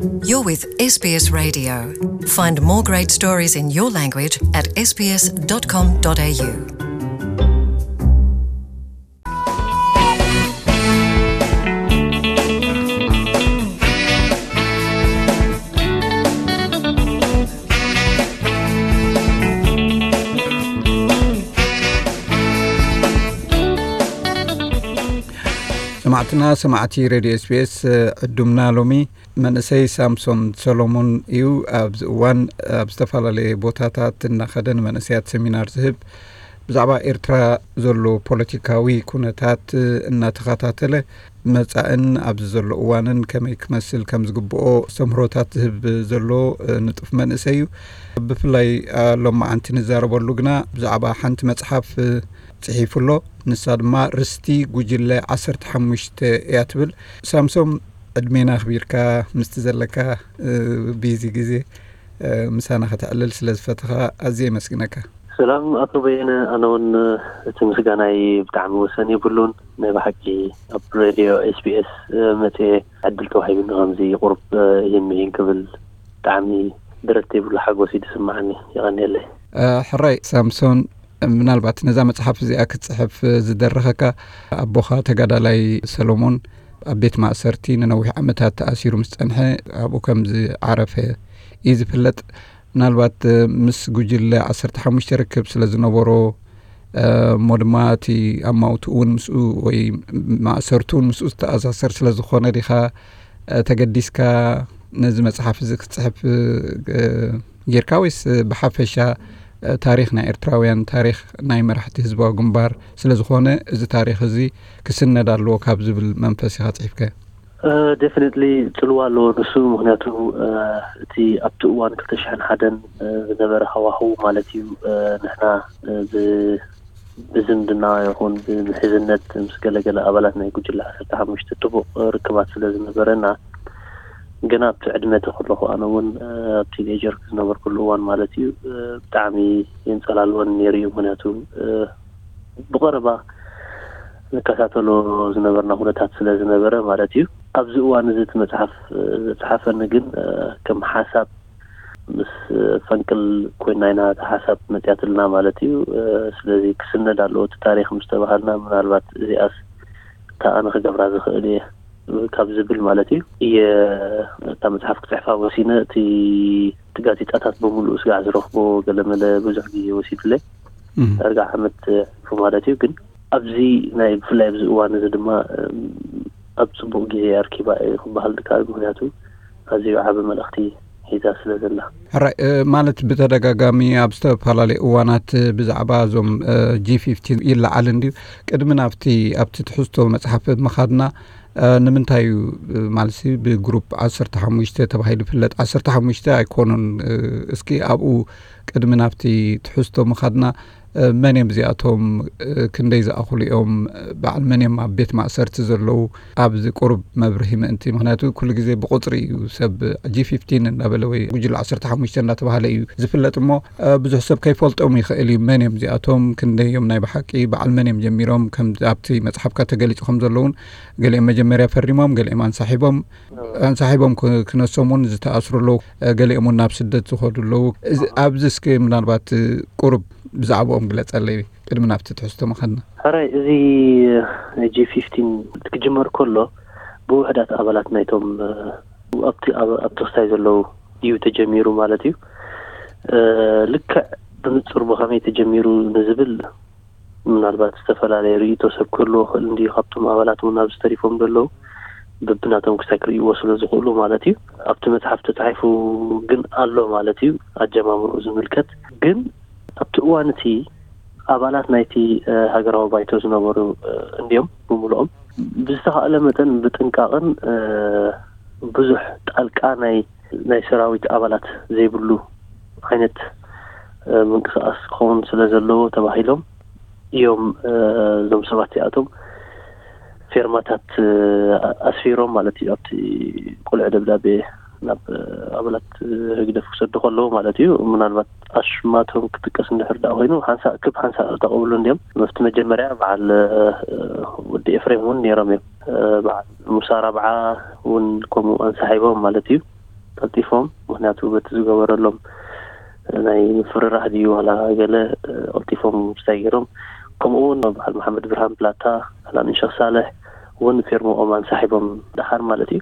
You're with S B S Radio. Find more great stories in your language at S B S dot com dot A U. ሰማዕትና፣ ሰማዕቲ ሬድዮ ኤስቢኤስ፣ ዕዱምና ሎሚ መንእሰይ ሳምሶን ሰሎሞን እዩ። ኣብዚ እዋን ኣብ ዝተፈላለየ ቦታታት እናኸደ ንመንእሰያት ሰሚናር ዝህብ፣ ብዛዕባ ኤርትራ ዘሎ ፖለቲካዊ ኩነታት እናተኸታተለ፣ መጻእን ኣብዚ ዘሎ እዋንን ከመይ ክመስል ከም ዝግብኦ ኣስተምህሮታት ዝህብ ዘሎ ንጡፍ መንእሰይ እዩ። ብፍላይ ሎማዓንቲ ንዛረበሉ ግና ብዛዕባ ሓንቲ መጽሓፍ ጽሒፉ ኣሎ። ንሳ ድማ ርስቲ ጉጅለ ዓሰርተ ሓሙሽተ እያ ትብል። ሳምሶም፣ ዕድሜና ኣኽቢርካ ምስቲ ዘለካ ቢዚ ግዜ ምሳና ከተዕልል ስለ ዝፈተኻ ኣዝየ የመስግነካ። ሰላም ኣቶ በየነ፣ ኣነ እውን እቲ ምስጋናይ ብጣዕሚ ወሰን የብሉን። ናይ ብሓቂ ኣብ ሬድዮ ኤስቢኤስ መፅየ ዕድል ተዋሂቡኒ ከምዚ ቁሩብ ይህን ምሂን ክብል ብጣዕሚ ደረት ዘይብሉ ሓጎስ እዩ ዝስማዓኒ። የቐንየለይ። ሕራይ ሳምሶን፣ ምናልባት ነዛ መጽሓፍ እዚኣ ክትጽሕፍ ዝደረኸካ ኣቦኻ ተጋዳላይ ሰሎሞን ኣብ ቤት ማእሰርቲ ንነዊሕ ዓመታት ተኣሲሩ ምስ ጸንሐ፣ ኣብኡ ከም ዝዓረፈ እዩ ዝፍለጥ። ምናልባት ምስ ጉጅለ ዓሰርተ ሓሙሽተ ርክብ ስለ ዝነበሮ፣ እሞ ድማ እቲ ኣማውትኡ እውን ምስኡ ወይ ማእሰርቱ እውን ምስኡ ዝተኣሳሰር ስለ ዝኾነ ዲኻ ተገዲስካ ነዚ መጽሓፍ እዚ ክትጽሕፍ ጌርካ፣ ወይስ ብሓፈሻ ታሪኽ ናይ ኤርትራውያን፣ ታሪኽ ናይ መራሕቲ ህዝባዊ ግንባር ስለ ዝኾነ፣ እዚ ታሪኽ እዚ ክስነድ ኣለዎ ካብ ዝብል መንፈስ ኢኻ ጽሒፍካዮ? ደፍኒትሊ ጽልዋ ኣለዎ ንሱ። ምኽንያቱ እቲ ኣብቲ እዋን ክልተ ሽሕን ሓደን ዝነበረ ሃዋህው ማለት እዩ፣ ንሕና ብ ብዝምድና ይኹን ብምሕዝነት ምስ ገለገለ ኣባላት ናይ ጉጅለ ዓሰርተ ሓሙሽተ ጥቡቕ ርክባት ስለ ዝነበረና፣ ገና ኣብቲ ዕድመ እቲ ከለኹ፣ ኣነ እውን ኣብ ቲኔጀር ዝነበርኩሉ እዋን ማለት እዩ፣ ብጣዕሚ የንጸላልወን ነይሩ እዩ። ምኽንያቱ ብቐረባ ንከታተሎ ዝነበርና ኩነታት ስለ ዝነበረ ማለት እዩ። ኣብዚ እዋን እዚ እቲ መጽሓፍ ዘጽሓፈኒ ግን ከም ሓሳብ ምስ ፈንቅል ኮይና ኢና እታ ሓሳብ መጽያትልና ማለት እዩ። ስለዚ ክስነድ ኣለዎ እቲ ታሪኽ ምስ ተባሃልና፣ ምናልባት እዚኣስ እታ ኣነ ክገብራ ዝኽእል እየ ካብ ዝብል ማለት እዩ፣ እየ እታ መጽሓፍ ክጽሕፋ ወሲነ። እቲ እቲ ጋዜጣታት ብምሉኡ ስጋዕ ዝረኽቦ ገለመለ ብዙሕ ግዜ ወሲዱለይ። ዳርጋ ዓመት ሕልፉ ማለት እዩ። ግን ኣብዚ ናይ ብፍላይ ኣብዚ እዋን እዚ ድማ ኣብ ጽቡቕ ግዜ ኣርኪባ እየ ክበሃል ድካ፣ ምኽንያቱ ኣዝዩ ዓቢ መልእኽቲ ሒዛ ስለ ዘላ። ሕራይ፣ ማለት ብተደጋጋሚ ኣብ ዝተፈላለዩ እዋናት ብዛዕባ እዞም ጂ ፊፍቲን ይለዓል እንድዩ። ቅድሚ ናብቲ ኣብቲ ትሕዝቶ መጽሓፍ ምኻድና፣ ንምንታይ እዩ ማለት ብግሩፕ ዓሰርተ ሓሙሽተ ተባሂሉ ይፍለጥ? ዓሰርተ ሓሙሽተ ኣይኮኑን። እስኪ ኣብኡ ቅድሚ ናብቲ ትሕዝቶ ምኻድና፣ መን እዮም እዚኣቶም? ክንደይ ዝኣኽሉ እዮም? በዓል መን እዮም ኣብ ቤት ማእሰርቲ ዘለዉ? ኣብዚ ቁሩብ መብርሂ ምእንቲ፣ ምኽንያቱ ኩሉ ግዜ ብቁጽሪ እዩ ሰብ ጂ ፊፍቲን እንዳበለ ወይ ጉጅለ ዓሰርተ ሓሙሽተ እንዳተባሃለ እዩ ዝፍለጥ እሞ፣ ብዙሕ ሰብ ከይፈልጦም ይኽእል እዩ። መን እዮም እዚኣቶም? ክንደይ እዮም ናይ ብሓቂ? በዓል መን እዮም ጀሚሮም? ከም ኣብቲ መጽሓፍካ ተገሊጹ ከም ዘለውን፣ ገሊኦም መጀመርያ ፈሪሞም፣ ገሊኦም ኣንሳሒቦም፣ ኣንሳሒቦም ክ-፣ ክነሶም እውን ዝተኣስሩ ኣለዉ። ገሊኦም እውን ናብ ስደት ዝኸዱ ኣለዉ። እዚ፣ ኣብዚ እስኪ ምናልባት ቁሩብ ብዛዕባኦም ግለጸለይ ቅድሚ ናብቲ ትሕዝቶ ምኻድና። ሕራይ፣ እዚ ጂ ፊፍቲን ክጅመር ከሎ ብውሕዳት ኣባላት ናይቶም ኣብቲ፣ ኣብ፣ ኣብ ተኽስታይ ዘለዉ እዩ ተጀሚሩ ማለት እዩ። ልክዕ ብንጹር ብኸመይ ተጀሚሩ ንዝብል ምናልባት ዝተፈላለየ ርእይቶ ሰብ ክህልዎ ክእል እንድዩ፣ ካብቶም ኣባላት እውን ኣብዚ ተሪፎም ዘለዉ በብናቶም ክሳይ ክርእይዎ ስለ ዝኽእሉ ማለት እዩ። ኣብቲ መጽሓፍ ተጻሒፉ ግን ኣሎ ማለት እዩ፣ ኣጀማምርኡ ዝምልከት። ግን ኣብቲ እዋን እቲ ኣባላት ናይቲ ሃገራዊ ባይቶ ዝነበሩ እንድዮም ብምልኦም። ብዝተኻእለ መጠን ብጥንቃቕን ብዙሕ ጣልቃ ናይ፣ ናይ ሰራዊት ኣባላት ዘይብሉ ዓይነት ምንቅስቃስ ክኸውን ስለ ዘለዎ ተባሂሎም እዮም። እዞም ሰባት እዚኣቶም ፌርማታት ኣስፊሮም ማለት እዩ፣ ኣብቲ ቁልዒ ደብዳቤ ናብ ኣባላት ህግደፍ ክሰዱ ከለዉ ማለት እዩ። ምናልባት ኣሽማቶም ክጥቀስ እንድሕር ደኣ ኮይኑ፣ ሓንሳእ ክብ ሓንሳእ ተቐብሉ እንድዮም። ኣብቲ መጀመርያ በዓል ወዲ ኤፍሬም እውን ነይሮም እዮም። በዓል ሙሳ ራብዓ እውን ከምኡ ኣንሳሒቦም ማለት እዩ። ቀልጢፎም፣ ምኽንያቱ በቲ ዝገበረሎም ናይ ምፍርራሕ ድዩ ዋላ ገለ፣ እ፣ ቀልጢፎም ምስታይ ገይሮም። ከምኡ እውን በዓል መሓመድ ብርሃን ብላታ፣ በዓል ኣሚንሸኽ ሳልሕ እውን ፌርምኦም ኣንሳሒቦም ደሓር ማለት እዩ።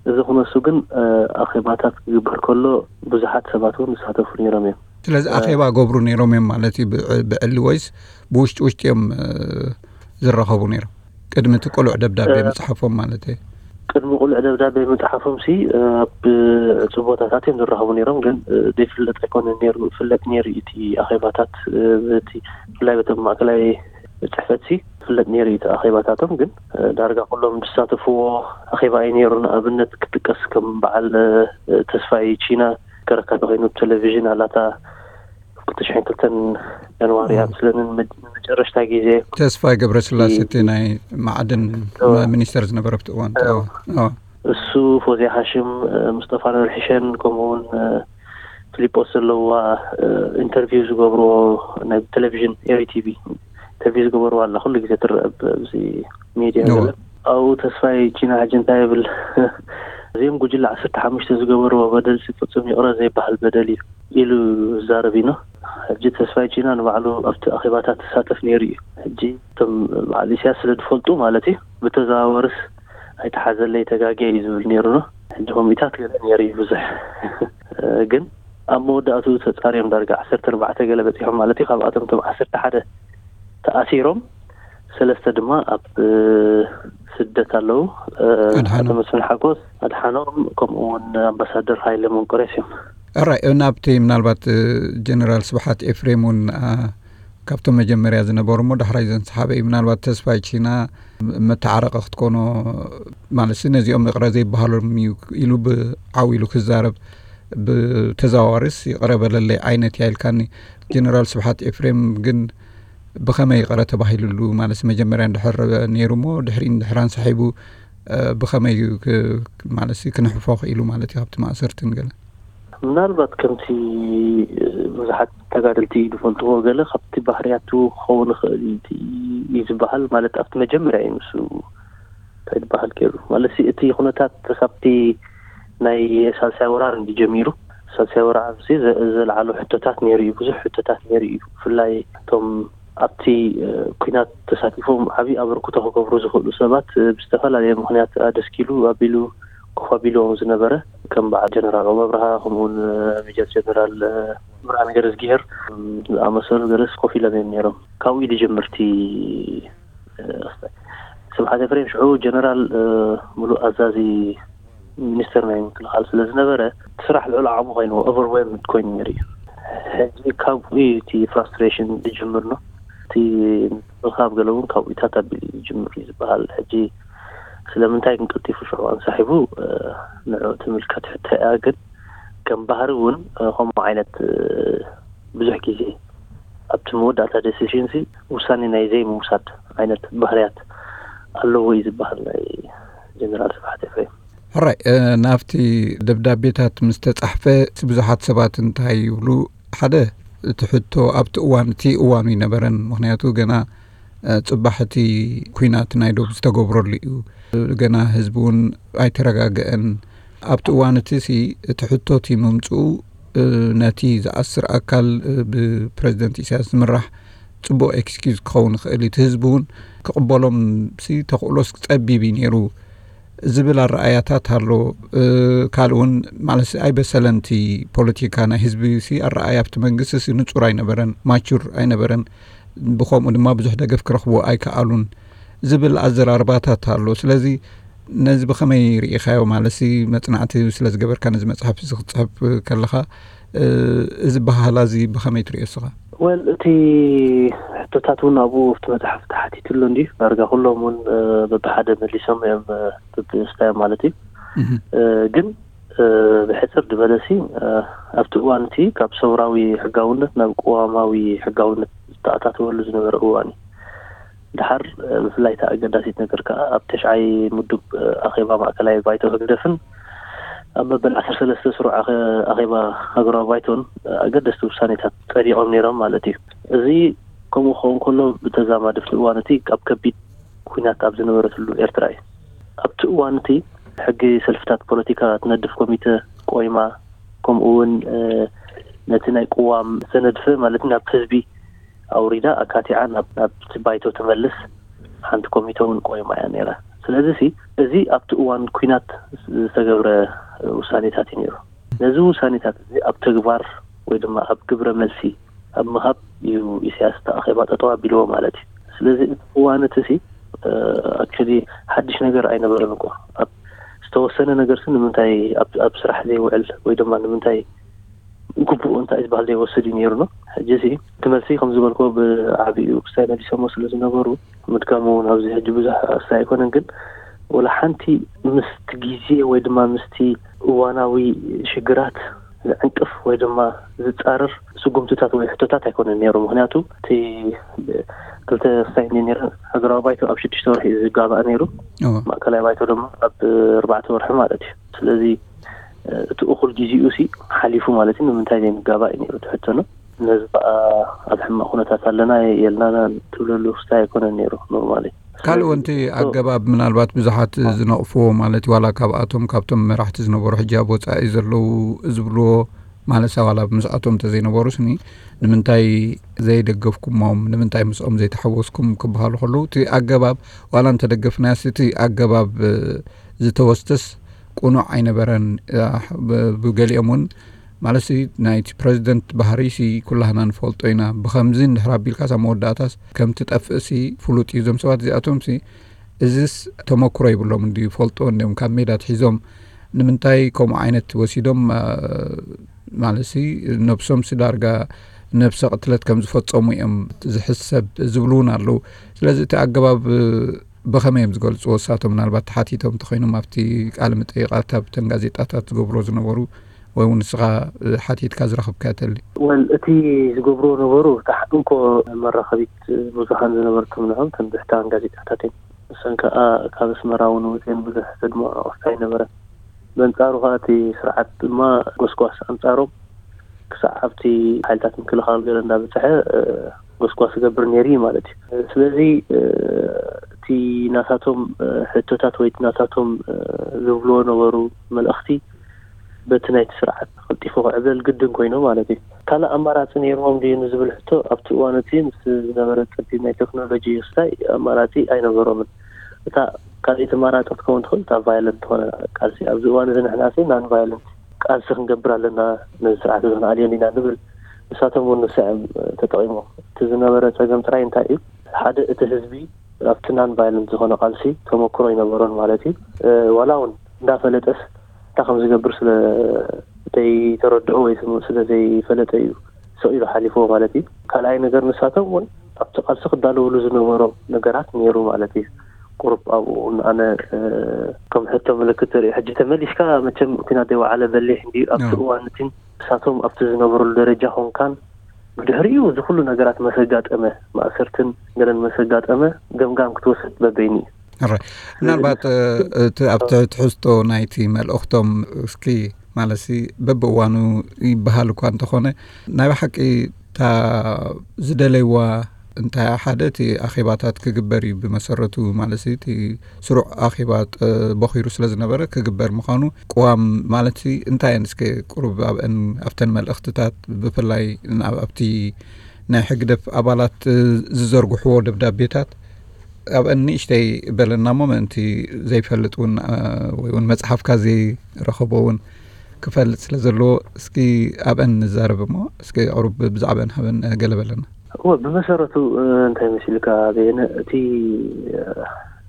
እዚ ክነሱ ግን፣ እ፣ ኣኼባታት ክግበር ከሎ ብዙሓት ሰባት እውን ዝሳተፉ ነይሮም እዮም። ስለዚ እ፣ ኣኼባ ገብሩ ነይሮም እዮም ማለት እዩ፣ ብዕ-፣ ብዕሊ ወይስ ብውሽጢ ውሽጢ እዮም፣ እ፣ ዝራኸቡ ነይሮም? ቅድሚ እቲ ቅሉዕ ደብዳቤ እ፣ ምጽሓፎም ማለት እዩ። ቅድሚ ቅሉዕ ደብዳቤ ምጽሓፎም ሲ፣ እ፣ ኣብ ዕጹብ ቦታታት እዮም ዝራኸቡ ነይሮም። ግን፣ እ፣ ዘይፍለጥ ኣይኮነን ነይሩ፣ ይፍለጥ ነይሩ እዩ እቲ ኣኼባታት፣ እ፣ በቲ፣ ብፍላይ በቶም ማእከላይ ጽሕፈት ሲ ይፍለጥ ነይሩ እዩ እቲ ኣኼባታቶም። ግን፣ እ፣ ዳርጋ ኩሎም ዝሳተፍዎ ኣኼባ እዩ ነይሩ። ንኣብነት ክጥቀስ ከም በዓል፣ እ፣ ተስፋይ ቺና ከረካ ተኾይኑ ብቴሌቪዥን ኣላታ ክልተ ሽሕን ክልተን ጃንዋሪ እም። ኣብ ስለንን መ-፣ መጨረሽታ ግዜ ተስፋይ ገብረስላሴ እ፣ እቲ ናይ ማዕድን እዎ። ሚኒስተር ዝነበረ ኣብቲ እዋን። እዎ። እዎ። እዎ። እሱ፣ ፎዝያ ሃሽም፣ እ፣ ሙስጠፋ ኑር ሒሸን፣ ከምኡ እውን፣ እ፣ ፊሊጶስ ዘለዋ፣ እ፣ ኢንተርቪው ዝገብርዎ ናይ ቴሌቪዥን ኤሪ ቲቪ ኢንተርቪው ዝገበርዋ ኣላ፣ ኩሉ ግዜ ትረአ ኣብዚ ሚድያ እዎ። ገለ። ኣብኡ ተስፋይ ቺና ሕጂ እንታይ ይብል? እዚኦም ጉጅለ ዓሰርተ ሓሙሽተ ዝገበርዎ በደል ሲ ፍጹም ይቕረ ዘይበሃል በደል እዩ ኢሉ ዝዛረብ እዩ። ሕጂ ተስፋይ ቺና ንባዕሉ ኣብቲ ኣኼባታት ትሳተፍ ነይሩ እዩ። ሕጂ እቶም በዓል ኢሳያስ ስለ ዝፈልጡ ማለት እዩ፣ ብተዘዋወርስ ኣይተሓዘለይ ተጋግየ እዩ ዝብል ነይሩ ነው። ሕጂ ከምኡታት ገለ ነይሩ እዩ ብዙሕ። ግን ኣብ መወዳእቱ ተጻርዮም ዳርጋ ዓሰርተ ኣርባዕተ ገለ በጺሖም ማለት እዩ። ካብኣቶም እቶም ዓሰርተ ሓደ ተኣሲሮም፣ ሰለስተ ድማ ኣብ፣ እ፣ ስደት ኣለዉ። እ፣ ኣድሓኖም። ኣቶ መስፍን ሓጎስ፣ ኣድሓኖም፣ ከምኡ እውን ኣምባሳደር ሃይለ መንቆሬስ እዮም። ሕራይ፣ ናብቲ ምናልባት፣ እ፣ ጀነራል ስብሓት ኤፍሬም እውን፣ ኣ፣ ካብቶም መጀመርያ ዝነበሩ እሞ ዳሕራይ ዘንሰሓበ እዩ። ምናልባት ተስፋይ ቺና መተዓረቂ ክትኮኖ፣ ማለት ነዚኦም ይቕረ ዘይበሃሎም እዩ ኢሉ ብዓው ኢሉ ክዛረብ፣ ብተዘዋዋሪስ ይቕረ በለለይ ዓይነት እያ ኢልካኒ። ጀነራል ስብሓት ኤፍሬም ግን ብኸመይ ይቕረ ተባሂሉሉ? ማለት መጀመርያ እንድሕር ነይሩ እሞ ድሕሪ እንድሕር ኣንሳሒቡ፣ እ፣ ብኸመይ እዩ ክ-፣ ማለት ክንሕፎ ክኢሉ ማለት እዩ ካብቲ ማእሰርትን ገለ? ምናልባት ከምቲ፣ እ፣ ብዙሓት ተጋደልቲ ዝፈልጥዎ ገለ ካብቲ ባህርያቱ ክኸውን ይኽእል እዩ እቲ፣ እዩ ዝበሃል። ማለት ኣብቲ መጀመርያ እዩ ንሱ እንታይ ዝበሃል ገይሩ። ማለት እቲ ኩነታት ካብቲ ናይ ሳልሳይ ወራር እንዲ ጀሚሩ፣ ሳልሳይ ወራር እዚ ዘ-፣ ዘልዓሎ ሕቶታት ነይሩ እዩ፣ ብዙሕ ሕቶታት ነይሩ እዩ። ብፍላይ እቶም ኣብቲ፣ እ፣ ኲናት ተሳቲፎም ዓብዪ ኣበርክቶ ክገብሩ ዝኽእሉ ሰባት፣ እ፣ ብዝተፈላለየ ምኽንያት ኣደስኪሉ ኣቢሉ ኮፍ ኣቢልዎም ዝነበረ፣ ከም በዓል ጀነራል ዑመር ኣብርሃ፣ ከምኡውን፣ እ፣ ሜጀር ጀነራል፣ እ፣ ብርሃነ ገረዝጊሄር፣ እ፣ ዝኣመሰሉ ገለስ ኮፍ ኢሎም እዮም ነይሮም። ካብኡ እዩ ዝጅምር እቲ፣ እ፣ ስብሓት ኤፍሬም ሽዑ ጀነራል፣ እ፣ ሙሉእ ኣዛዚ ሚኒስተር ናይ ምክልኻል ስለ ዝነበረ፣ እቲ ስራሕ ልዑል ዓቕሚ ኮይኑ፣ ኦቨርዌልምድ ኮይኑ ነይሩ እዩ። ሕጂ ካብኡ እዩ እቲ ፍራስትሬሽን ዝጅምር ነው። እቲ ምክልኻል ገለ እውን ካብኡታት ኣቢሉ እዩ ዝጅምር እዩ ዝበሃል። ሕጂ ስለምንታይ ግን ቀልጢፉ ሽዑ ኣንሳሒቡ፣ እ፣ ንዕኡ ትምልከት ሕቶ እያ። ግን ከም ባህሪ እውን፣ እ፣ ከምኡ ዓይነት፣ እ፣ ብዙሕ ግዜ ኣብቲ መወዳእታ ዴሲሽን ሲ ውሳኔ ናይ ዘይምውሳድ ዓይነት ባህርያት ኣለዎ እዩ ዝበሃል ናይ ጀነራል ስብሓት ኤፍሬም። ሕራይ፣ እ፣ ናብቲ ደብዳቤታት ምስ ተጻሕፈ ብዙሓት ሰባት እንታይ ይብሉ? ሓደ፣ እቲ ሕቶ ኣብቲ እዋን፣ እቲ እዋኑ ይነበረን። ምኽንያቱ ገና፣ እ፣ ጽባሕ እቲ ኲናት ናይ ዶብ ዝተገብረሉ እዩ። ገና ህዝቢ እውን ኣይተረጋግአን። ኣብቲ እዋን እቲ ሲ፣ እቲ ሕቶ እቲ ምምጽኡ፣ እ፣ ነቲ ዝኣስር ኣካል፣ እ፣ ብፕረዚደንት ኢሳያስ ዝምራሕ ጽቡቕ ኤክስኪዩዝ ክኸውን ይኽእል እዩ። እቲ ህዝቢ እውን ክቕበሎም ሲ ተኽእሎስ ጸቢብ እዩ ነይሩ ዝብል ኣረኣያታት ኣሎ። እ፣ ካልእ እውን ማለት ኣይበሰለን እቲ ፖለቲካ ናይ ህዝቢ ሲ ኣረኣያ ኣብቲ መንግስቲ ሲ ንጹር ኣይነበረን፣ ማቹር ኣይነበረን። ብኸምኡ ድማ ብዙሕ ደገፍ ክረኽቡ ኣይከኣሉን ዝብል ኣዘራርባታት ኣሎ። ስለዚ ነዚ ብኸመይ ርኢኻዮ? ማለትሲ መጽናዕቲ ስለ ዝገበርካ ነዚ መጽሓፍ እዚ ክትጽሕፍ ከለኻ፣ እ፣ እዚ ባህላ እዚ ብኸመይ ትርእዮ እስኻ? ወል፣ እቲ ሕቶታት እውን ኣብኡ ኣብቲ መጽሓፍ ተሓቲቱ ኣሎ እንድዩ። ዳርጋ ኩሎም እውን፣ እ፣ በብሓደ መሊሶም እዮም፣ እ፣ በብስታዮም ማለት እዩ። እህ። እ፣ ግን፣ እ፣ ብሕጽር ዝበለሲ፣ እ፣ ኣብቲ እዋን እቲ ካብ ሰውራዊ ሕጋውነት ናብ ቅዋማዊ ሕጋውነት ዝተኣታተወሉ ዝነበረ እዋን እዩ። ደሓር፣ እ፣ ብፍላይ እታ ኣገዳሲት ነገር ከኣ ኣብ ተሽዓይ ምዱብ፣ እ፣ ኣኼባ ማእከላይ ባይቶ ህግደፍን ኣብ መበል ዓሰርተ ሰለስተ ስሩዕ ኣኸ-፣ ኣኼባ ሃገራዊ ባይቶን፣ እ፣ ኣገደስቲ ውሳኔታት ጸዲቖም ነይሮም ማለት እዩ። እዚ ከምኡ ክኸውን ከሎ ብተዛማዲ ኣብቲ እዋን እቲ ኣብ ከቢድ ኲናት ኣብ ዝነበረትሉ ኤርትራ እዩ። ኣብቲ እዋን እቲ ሕጊ ሰልፍታት ፖለቲካ ትነድፍ ኮሚተ፣ ቆይማ፣ ከምኡ እውን ነቲ ናይ ቅዋም ዝተነድፈ ማለት ናብ ህዝቢ ኣውሪዳ ኣካቲዓ ናብ ናብቲ ባይቶ ትመልስ ሓንቲ ኮሚተ እውን ቆይማ እያ ነይራ። ስለዚ ሲ እዚ ኣብቲ እዋን ኲናት ዝተገብረ ውሳኔታት እዩ ነይሩ። ነዚ ውሳኔታት እዚ ኣብ ተግባር ወይ ድማ ኣብ ግብረ መልሲ ኣብ ምሃብ እዩ ኢሳያስ እቲ ኣኼባ ጠጠው ኣቢልዎ ማለት እዩ። ስለዚ እቲ እዋን እቲ ሲ ኣክቹሊ ሓድሽ ነገር ኣይነበረን እኮ። ኣብ ዝተወሰነ ነገር ሲ ንምንታይ ኣብ ኣብ ስራሕ ዘይውዕል ወይ ድማ ንምንታይ ግቡኡ እንታይ ዝበሃል ዘይወስድ እዩ ነይሩ ነው። ሕጂ ሲ እቲ መልሲ ከም ዝበልኮ ብዓቢኡ ክስታይ መሊሶሞ ስለ ዝነበሩ ምድጋሙ እውን ኣብዚ ሕጂ ብዙሕ ኣስታይ ኣይኮነን። ግን ወላ ሓንቲ ምስቲ ግዜ ወይ ድማ ምስቲ እዋናዊ ሽግራት ዝዕንቅፍ ወይ ድማ ዝጻረር ስጉምትታት ወይ ሕቶታት ኣይኮነን ነይሩ። ምክንያቱ እቲ ክልተ ክስታይ እንደ ነይረ ሃገራዊ ባይቶ ኣብ ሽዱሽተ ወርሒ እዩ ዝጋባእ ነይሩ። ማእከላይ ባይቶ ድማ ኣብ ኣርባዕተ ወርሒ ማለት እዩ። ስለዚ እቲ እኹል ግዜኡ ሲ ሓሊፉ ማለት እዩ። ንምንታይ ዘይንጋባእ እዩ ነይሩ እቲ ሕቶ ነው። ነዚ ከዓ ኣብ ሕማቕ ኩነታት ኣለና የልናና ትብለሉ ክስታይ ኣይኮነን ነይሩ ኖርማሊ። ካልእ ወንቲ ኣገባብ ምናልባት ብዙሓት ዝነቕፍዎ ማለት ዋላ ካብኣቶም ካብቶም መራሕቲ ዝነበሩ ሕጂ ኣብ ወፃኢ ዘለዉ ዝብልዎ ማለት ዋላ ምስኣቶም እንተዘይነበሩስ ኒ ንምንታይ ዘይደገፍኩሞም ንምንታይ ምስኦም ዘይተሓወስኩም ክበሃሉ ከለዉ እቲ ኣገባብ ዋላ እንተደገፍናያስ እቲ ኣገባብ ዝተወስተስ ቅኑዕ ኣይነበረን። ብገሊኦም እውን ማለት ናይቲ ፕረዚደንት ባህሪ ሲ ኩላህና ንፈልጦ ኢና። ብከምዚ እንድሕር ኣቢልካስ ኣብ መወዳእታስ ከም ትጠፍእ ሲ ፍሉጥ እዩ። እዞም ሰባት እዚኣቶም ሲ እዚስ ተመክሮ ይብሎም እንዲ ይፈልጦ እንዲም ካብ ሜዳ ትሒዞም ንምንታይ ከምኡ ዓይነት ወሲዶም ማለት ሲ ነብሶም ሲ ዳርጋ ነብሰ ቅትለት ከም ዝፈጸሙ እዮም ዝሕሰብ ዝብሉ እውን ኣለዉ። ስለዚ እቲ ኣገባብ ብኸመይ እዮም ዝገልጽዎ? እሳቶም ምናልባት ተሓቲቶም እንተኾይኖም ኣብቲ ቃለ መጠይቓት ኣብተን ጋዜጣታት ዝገብርዎ ዝነበሩ ወይ እውን ንስኻ ሓቲትካ ዝረኸብካዮ ተሊ? ወል እቲ ዝገብርዎ ነበሩ እታ እንኮ መራኸቢት ብዙሃን ዝነበርቶም ንዖም ተን ብሕታን ጋዜጣታት እዮም። ንሰን ከኣ ካብ ኣስመራ እውን ወፅየን ብዙሕ ዘድምዖ ክስታይ ነበረ። በንጻሩ ከኣ እቲ ስርዓት ድማ ጎስጓስ ኣንጻሮም ክሳዕ ኣብቲ ሓይልታት ምክልኻል ገለ እንዳበፅሐ ጎስጓስ ዝገብር ነይሩ እዩ ማለት እዩ። ስለዚ እቲ ናታቶም ሕቶታት ወይ እቲ ናታቶም ዝብልዎ ነበሩ መልእኽቲ በቲ ናይቲ ስርዓት ቀልጢፉ ክዕብለል ግድን ኮይኑ ማለት እዩ። ካልእ ኣማራፂ ነይርዎም ድዩ ንዝብል ሕቶ ኣብቲ እዋን እቲ ምስ ዝነበረ ፀቢብ ናይ ቴክኖሎጂ ክስታይ ኣማራፂ ኣይነበሮምን። እታ ካልኣይቲ ኣማራፂ ክትከውን ትኽእል እታ ቫዮለንት ዝኾነ ቃልሲ ኣብዚ እዋን እዚ ንሕና ሲ ናን ቫዮለንት ቃልሲ ክንገብር ኣለና ነዚ ስርዓት እዚ ክንኣልዮ ኢና ንብል። ንሳቶም እውን ንስዕም ተጠቒሞም። እቲ ዝነበረ ፀገም ጥራይ እንታይ እዩ? ሓደ እቲ ህዝቢ ኣብቲ ናን ቫይለንት ዝኾነ ቃልሲ ተመክሮ ኣይነበሮን ማለት እዩ። ዋላ እውን እንዳፈለጠስ እንታይ ከም ዝገብር ስለ ዘይተረድኦ ወይ ስለ ዘይፈለጠ እዩ ስቕ ኢሉ ሓሊፍዎ ማለት እዩ። ካልኣይ ነገር ንሳቶም እውን ኣብቲ ቃልሲ ክዳለውሉ ዝነበሮም ነገራት ነይሩ ማለት እዩ። ቁሩብ ኣብኡ ንኣነ ከም ሕቶ ምልክት ተርኢ ሕጂ ተመሊስካ መቸም ኩናት ዘይወዓለ በሊሕ እንዲዩ ኣብቲ እዋን እቲ ንሳቶም ኣብቲ ዝነበሩሉ ደረጃ ኮንካን ብድሕሪኡ እዚ ኩሉ ነገራት መሰጋጠመ ማእሰርትን ገለን መሰጋጠመ ገምጋም ክትወስድ በበይኑ እዩ። ምናልባት እቲ ኣብቲ ትሕዝቶ ናይቲ መልእኽቶም እስኪ ማለት በብእዋኑ ይበሃል እኳ እንተኾነ ናይ ብሓቂ እታ ዝደለይዋ እንታይ ሓደ እቲ ኣኼባታት ክግበር እዩ ብመሰረቱ ማለት እቲ ስሩዕ ኣኼባ ቦኺሩ ስለ ዝነበረ ክግበር ምዃኑ ቅዋም ማለት እንታይ እየን እስከ ቁሩብ ኣብአን ኣብተን መልእኽትታት ብፍላይ ኣብቲ ናይ ሕግደፍ ኣባላት ዝዘርግሕዎ ደብዳቤታት ኣብአን ንእሽተይ በለና እሞ ምእንቲ ዘይፈልጥ እውን ወይ እውን መፅሓፍካ ዘይረኸቦ እውን ክፈልጥ ስለ ዘለዎ እስኪ ኣብአን ንዛረብ እሞ እስኪ ቁሩብ ብዛዕባን ሃበን ገለ በለና። እወ ብመሰረቱ እንታይ መሲልካ በየነ እቲ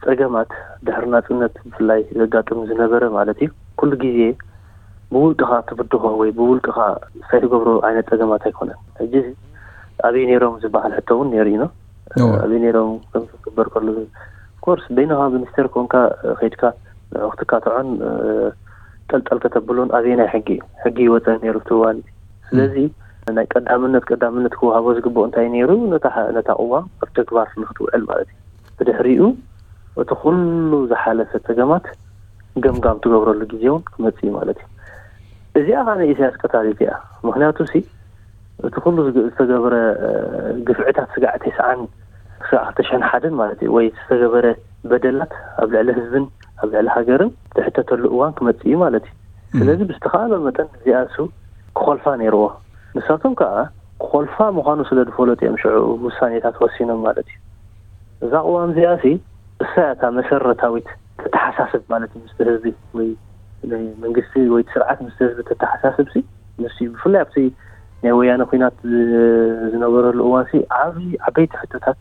ፀገማት ድሕሪ ናፅነት ብፍላይ ዘጋጥም ዝነበረ ማለት እዩ ኩሉ ግዜ ብውልቅኻ ትብድኾ ወይ ብውልቅኻ ሳይትገብሮ ዓይነት ፀገማት ኣይኮነን። ሕጂ ኣበይ ነይሮም ዝበሃል ሕቶ እውን ነይሩ እዩ። ኣበይ ነይሮም ከምዝግበር ከሉ ኮርስ በይንኻ ሚኒስተር ኮንካ ከይድካ ንዕኽትካ ትዖን ጠልጠል ከተብሉን ኣበየናይ ሕጊ እዩ? ሕጊ ይወፀ ነይሩ እቲ እዋን። ስለዚ ናይ ቀዳምነት ቀዳምነት ክወሃቦ ዝግብኦ እንታይ ነይሩ? ነታ ቅዋም ኣብ ተግባር ንክትውዕል ማለት እዩ። ብድሕሪኡ እቲ ኩሉ ዝሓለፈ ፀገማት ገምጋም ትገብረሉ ግዜ እውን ክመፅእ እዩ ማለት እዩ። እዚኣ ከዓ ናይ ኢሳያስ ቀታሊት እያ። ምክንያቱ ሲ እቲ ኩሉ ዝተገበረ ግፍዕታት ስጋዕ ተስዓን ስጋዕ ክልተ ሽሕን ሓደን ማለት እዩ ወይ ዝተገበረ በደላት ኣብ ልዕሊ ህዝብን ኣብ ልዕሊ ሃገርን ዝሕተተሉ እዋን ክመፅእ እዩ ማለት እዩ። ስለዚ ብዝተኻእሎ መጠን እዚኣ እሱ ክኾልፋ ነይርዎ። ንሳቶም ከዓ ክኾልፋ ምዃኑ ስለ ዝፈለጡ እዮም ሽዑ ውሳኔታት ወሲኖም ማለት እዩ። እዛ ቅዋም እዚኣ ሲ እሳ እያ እታ መሰረታዊት ተተሓሳስብ ማለት እዩ ምስቲ ህዝቢ ወይ ናይ መንግስቲ ወይ ስርዓት ምስቲ ህዝቢ ተተሓሳስብ ሲ ንሱ እዩ። ብፍላይ ኣብቲ ናይ ወያነ ኩናት ዝ- ዝነበረሉ እዋን ሲ ዓብዪ ዓበይቲ ሕቶታት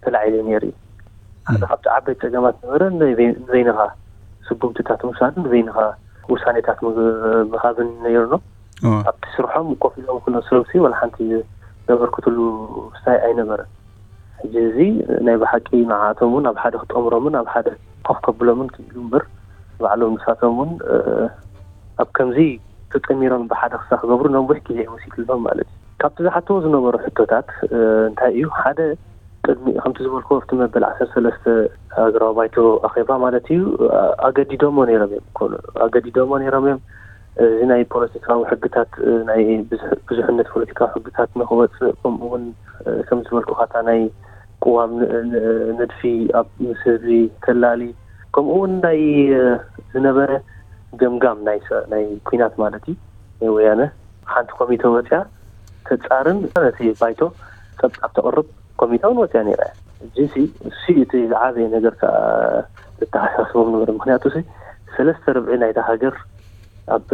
ተላዒሉ ነይሩ እዩ። ሓደ ካብቲ ዓበይቲ ፀገማት ነበረ ንበይ- ንበይንኻ ስጉምትታት ምውሳድን ንበይንኻ ውሳኔታት ምሃብን ነይሩ ነው። ኣብቲ ስርሖም ኮፍ ኢሎም ኩሎም ሰብ ሲ ዋላ ሓንቲ ዘበርክትሉ ስታይ ኣይነበረን። ሕጂ እዚ ናይ ብሓቂ ንዓኣቶም እውን ኣብ ሓደ ክጠምሮምን ኣብ ሓደ ኮፍ ከብሎምን ክኢሉ እምበር ባዕሎም ንሳቶም እውን ኣብ ከምዚ ተጠሚሮም ብሓደ ክሳ ክገብሩ ነዊሕ ግዜ ይወሲድሎም ማለት እዩ። ካብቲ ዝሓትዎ ዝነበሩ ሕቶታት እንታይ እዩ? ሓደ ቅድሚ ከምቲ ዝበልኩ ኣብቲ መበል ዓሰርተ ሰለስተ ሃገራዊ ባይቶ ኣኼባ ማለት እዩ ኣገዲዶሞ ነይሮም እዮም። ኣገዲዶሞ ነይሮም እዮም። እዚ ናይ ፖለቲካዊ ሕግታት ናይ ብዙሕነት ፖለቲካዊ ሕግታት ንክወፅእ ከምኡ እውን ከም ዝበልኩ ካታ ናይ ቅዋም ንድፊ ኣብ ምስ ህዝቢ ተላሊ ከምኡ እውን ናይ ዝነበረ ገምጋም ናይ ናይ ኩናት ማለት እዩ ናይ ወያነ ሓንቲ ኮሚተ ወፅያ ተፃርን ነቲ ባይቶ ፀብፃብ ተቕርብ ኮሚተ እውን ወፅያ ነይራ እያ። እዚሲ እሱ እቲ ዝዓበየ ነገር ከዓ ዝተሓሳስቦም ነበረ። ምክንያቱ ሰለስተ ርብዒ ናይታ ሃገር ኣብ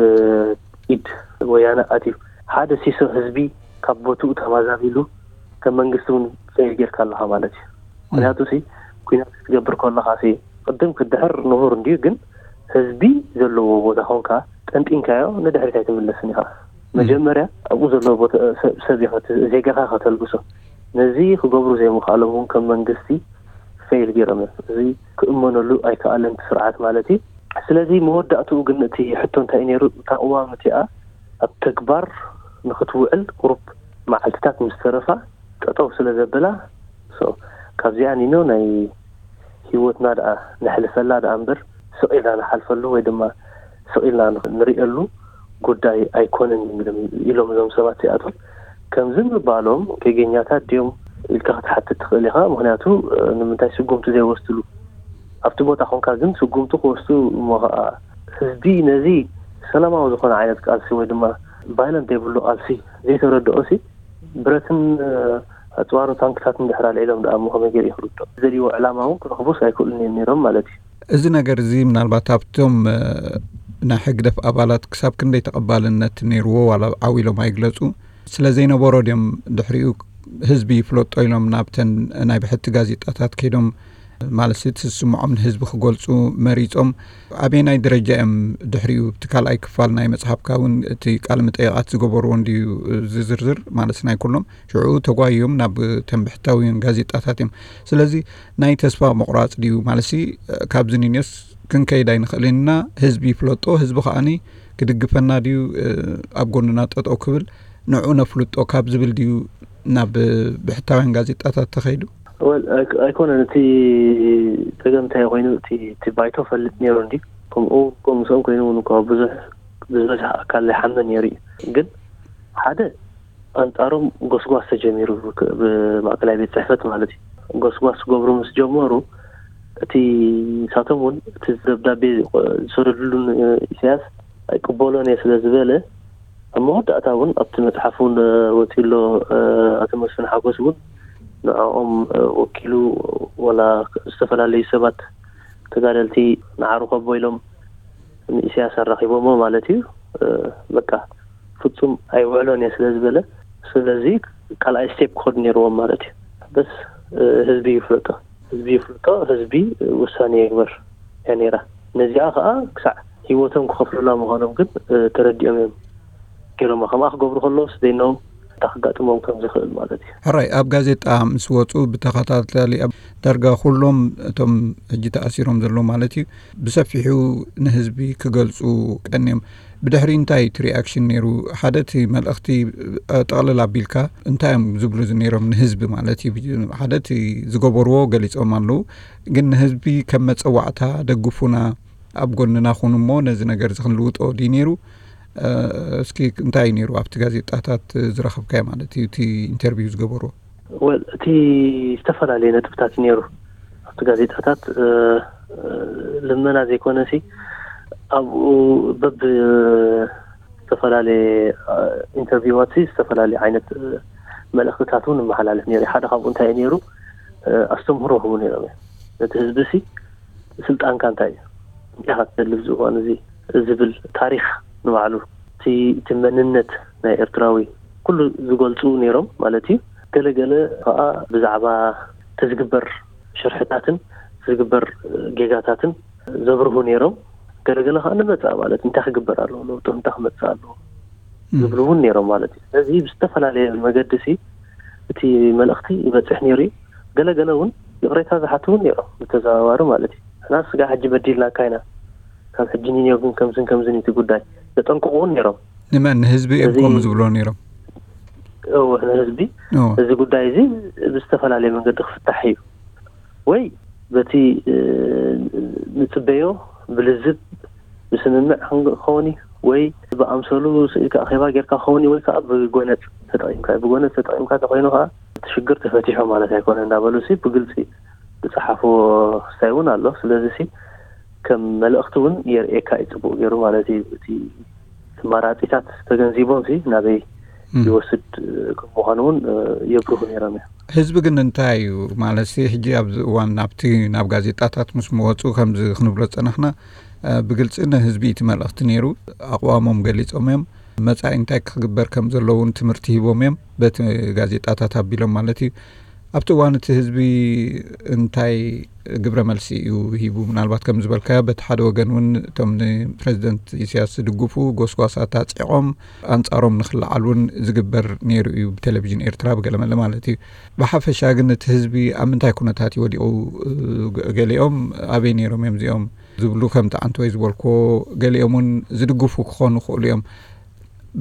ኢድ ወያነ ኣትዩ ሓደ ሲሶ ህዝቢ ካብ ቦትኡ ተማዛቢሉ ከም መንግስቲ እውን ፌል ጌርካ ኣለኻ ማለት እዩ። ምክንያቱ ሲ ኩናት ክትገብር ከለኻ ሲ ቅድም ክድሕር ንቡር እንድዩ፣ ግን ህዝቢ ዘለዎ ቦታ ኮንካ ጠንጢንካዮ ንድሕሪት ኣይትምለስን ኢኻ። መጀመርያ ኣብኡ ዘለዎ ቦታ ሰብ ኢኻ ዜጋኻ ከተልግሶ። ነዚ ክገብሩ ዘይምኽኣሎም እውን ከም መንግስቲ ፌል ገይሮም እዮም። እዚ ክእመነሉ ኣይከኣለን ስርዓት ማለት እዩ። ስለዚ መወዳእትኡ ግን እቲ ሕቶ እንታይ እዩ ነይሩ? እታ ቅዋም እቲኣ ኣብ ተግባር ንክትውዕል ቁሩብ መዓልትታት ምስ ተረፋ ጠጠው ስለ ዘበላ ካብዚኣ ኒኖ ናይ ህይወትና ደኣ ነሕልፈላ ደኣ እምበር ስቕ ኢልና ንሓልፈሉ ወይ ድማ ስቕ ኢልና ንሪእሉ ጉዳይ ኣይኮነን ኢሎም እዞም ሰባት እዚኣቶም። ከምዚ ምባሎም ጌገኛታት ድዮም ኢልካ ክትሓትት ትኽእል ኢኻ። ምክንያቱ ንምንታይ ስጉምቲ ዘይወስድሉ ኣብቲ ቦታ ኮንካ ግን ስጉምቲ ክወስዱ እሞ ከዓ ህዝቢ ነዚ ሰላማዊ ዝኾነ ዓይነት ቃልሲ ወይ ድማ ቫይለንት ዘይብሉ ቃልሲ ዘይተረድኦ ሲ ብረትን ኣፅዋርን ታንክታትን ድሕር ኣልዒሎም ደኣ እሞ ከመይ ገይሩ ይክርዶ ዘድልዎ ዕላማ እውን ክረኽቡስ ኣይክእሉን እዮም ነይሮም ማለት እዩ። እዚ ነገር እዚ ምናልባት ኣብቶም ናይ ሕግደፍ ኣባላት ክሳብ ክንደይ ተቐባልነት ነይርዎ ዋላ ዓው ኢሎም ኣይግለፁ ስለ ዘይነበሮ ድዮም ድሕሪኡ ህዝቢ ይፍለጦ ኢሎም ናብተን ናይ ብሕቲ ጋዜጣታት ከይዶም ማለት እቲ ዝስምዖም ንህዝቢ ክገልፁ መሪፆም ኣበየናይ ደረጃ እዮም ድሕሪኡ እቲ ካልኣይ ክፋል ናይ መፅሓፍካ እውን እቲ ቃለ መጠይቓት ዝገበርዎ እንድዩ ዝዝርዝር ማለት ናይ ኩሎም ሽዑ ተጓዮም ናብ ተን ብሕታውያን ጋዜጣታት እዮም ስለዚ ናይ ተስፋ ምቑራፅ ድዩ ማለትሲ ካብዚ ንንዮስ ክንከይድ ኣይንኽእልን ኢና ህዝቢ ይፍለጦ ህዝቢ ከዓኒ ክድግፈና ድዩ ኣብ ጎንና ጠጠው ክብል ንዑ ነፍልጦ ካብ ዝብል ድዩ ናብ ብሕታውያን ጋዜጣታት ተኸይዱ? ወል ኣይኮነን እቲ ፀገም እንታይ ኮይኑ እቲ እቲ ባይቶ ፈልጥ ነይሩ እንዲ ከምኡ ከምኡ ምስኦም ኮይኑ እውን እኳ ብዙሕ ብዝበዝሕ ኣካል ይሓመ ነይሩ እዩ ግን ሓደ ኣንፃሮም ጎስጓስ ተጀሚሩ ብማእከላይ ቤት ፅሕፈት ማለት እዩ ጎስጓስ ክገብሩ ምስ ጀመሩ እቲ ንሳቶም እውን እቲ ደብዳቤ ዝሰደድሉ ኢሳያስ ኣይቅበሎን እየ ስለ ዝበለ ኣብ መወዳእታ እውን ኣብቲ መፅሓፍ እውን ወፂሎ ኣቶ መስፍን ሓጎስ እውን ንዕኦም ወኪሉ ወላ ዝተፈላለዩ ሰባት ተጋደልቲ ንዓሩ ከቦ ኢሎም ንኢሳያስ ኣራኺቦሞ ማለት እዩ። በቃ ፍፁም ኣይውዕሎን እየ ስለ ዝበለ ስለዚ ካልኣይ ስቴፕ ክኸዱ ነይርዎም ማለት እዩ። በስ ህዝቢ ይፍለጦ ህዝቢ ይፍለጦ ህዝቢ ውሳኔ የግበር እያ ነይራ። ነዚኣ ከዓ ክሳዕ ህይወቶም ክኸፍሉላ ምዃኖም ግን ተረዲኦም እዮም ገይሮማ። ከምኣ ክገብሩ ከለውስ ዘይኖም እንታይ ክጋጥሞም ከም ዝኽእል ማለት እዩ። ሕራይ ኣብ ጋዜጣ ምስ ወፁ ብተኸታታሊ ኣብ ዳርጋ ኩሎም እቶም ሕጂ ተኣሲሮም ዘለዉ ማለት እዩ ብሰፊሑ ንህዝቢ ክገልፁ ቀንዮም። ብድሕሪ እንታይ እቲ ሪኣክሽን ነይሩ? ሓደ እቲ መልእኽቲ ጠቕልል ኣቢልካ እንታይ እዮም ዝብሉ ነይሮም ንህዝቢ ማለት እዩ? ሓደ እቲ ዝገበርዎ ገሊፆም ኣለዉ፣ ግን ንህዝቢ ከም መፀዋዕታ ደግፉና፣ ኣብ ጎንና ኩኑ እሞ ነዚ ነገር እዚ ክንልውጦ ድዩ ነይሩ? እስኪ እንታይ እዩ ነይሩ ኣብቲ ጋዜጣታት ዝረኸብካዮ ማለት እዩ እቲ ኢንተርቪው ዝገበርዎ? ወል እቲ ዝተፈላለየ ነጥብታት እዩ ነይሩ ኣብቲ ጋዜጣታት ልመና ዘይኮነ ሲ ኣብኡ በብ ዝተፈላለየ ኢንተርቪዋት ዝተፈላለዩ ዓይነት መልእክትታት እውን ይመሓላለፍ ነይሩ። ሓደ ካብኡ እንታይ እዩ ነይሩ? ኣስተምህሮ ክቡ ነይሮም እዮም። ነቲ ህዝቢ ሲ ስልጣንካ እንታይ እዩ? እንታይ ኢኻ ትደሊ ኣብዚ እዋን እዚ ዝብል ታሪኽ ንባዕሉ እቲ እቲ መንነት ናይ ኤርትራዊ ኩሉ ዝገልጹ ነይሮም ማለት እዩ። ገለገለ ከዓ ብዛዕባ እቲ ዝግበር ሽርሕታትን ዝግበር ጌጋታትን ዘብርሁ ነይሮም። ገለገለ ከዓ ንመጻእ ማለት እንታይ ክግበር ኣለዎ፣ ለውጢ እንታይ ክመጽእ ኣለዎ ዝብሉ እውን ነይሮም ማለት እዩ። ስለዚ ብዝተፈላለየ መገዲ ሲ እቲ መልእኽቲ ይበጽሕ ነይሩ እዩ። ገለገለ እውን ይቕሬታ ዝሓቱ እውን ነይሮም ብተዘዋዋሪ ማለት እዩ። ንሕና ስጋ ሕጂ በዲልናካ ኢና፣ ካብ ሕጂ ንንዮ ግን ከምዝን ከምዝን እዩ እቲ ጉዳይ ዘጠንቅቑ እውን ነይሮም። ንመን? ንህዝቢ እዮም እዚ ከምኡ ዝብሎ ነይሮም? እወ፣ ንህዝቢ እወ። እዚ ጉዳይ እዚ ብዝተፈላለየ መንገዲ ክፍታሕ እዩ ወይ በቲ ንፅበዮ ብልዝብ ብስምምዕ ክኸውን እዩ ወይ ብኣምሰሉ ስኢልካ ኣኼባ ጌርካ ክኸውን እዩ ወይ ከዓ ብጎነፅ ተጠቂምካ እዩ። ብጎነፅ ተጠቂምካ ተኮይኑ ከዓ እቲ ሽግር ተፈቲሑ ማለት ኣይኮነ እንዳበሉ ሲ ብግልፂ ዝፀሓፍዎ ክስታይ እውን ኣሎ። ስለዚ ሲ ከም መልእኽቲ እውን የርእየካ እዩ ፅቡቅ ገይሩ ማለት እዩ። እቲ መራፂታት ተገንዚቦም ሲ ናበይ ይወስድ ከም ምዃኑ እውን የብርሁ ነይሮም እዮም። ህዝቢ ግን እንታይ እዩ ማለት ሲ ሕጂ ኣብዚ እዋን ናብቲ ናብ ጋዜጣታት ምስ መወፁ ከምዚ ክንብሎ ዝፀናሕና ብግልፂ ንህዝቢ እቲ መልእኽቲ ነይሩ። ኣቕዋሞም ገሊፆም እዮም። መፃኢ እንታይ ክግበር ከም ዘለውን ትምህርቲ ሂቦም እዮም በቲ ጋዜጣታት ኣቢሎም ማለት እዩ። ኣብቲ እዋን እቲ ህዝቢ እንታይ ግብረ መልሲ እዩ ሂቡ? ምናልባት ከም ዝበልካዮ በቲ ሓደ ወገን እውን እቶም ንፕረዚደንት ኢሳያስ ዝድግፉ ጎስጓሳት ኣፅዒቖም ኣንፃሮም ንክለዓል እውን ዝግበር ነይሩ እዩ ብቴሌቪዥን ኤርትራ ብገለመለ ማለት እዩ። ብሓፈሻ ግን እቲ ህዝቢ ኣብ ምንታይ ኩነታት እዩ ወዲቑ? ገሊኦም ኣበይ ነይሮም እዮም እዚኦም ዝብሉ ከምቲ ዓንተወይ ዝበልክዎ ገሊኦም እውን ዝድግፉ ክኾኑ ይኽእሉ እዮም።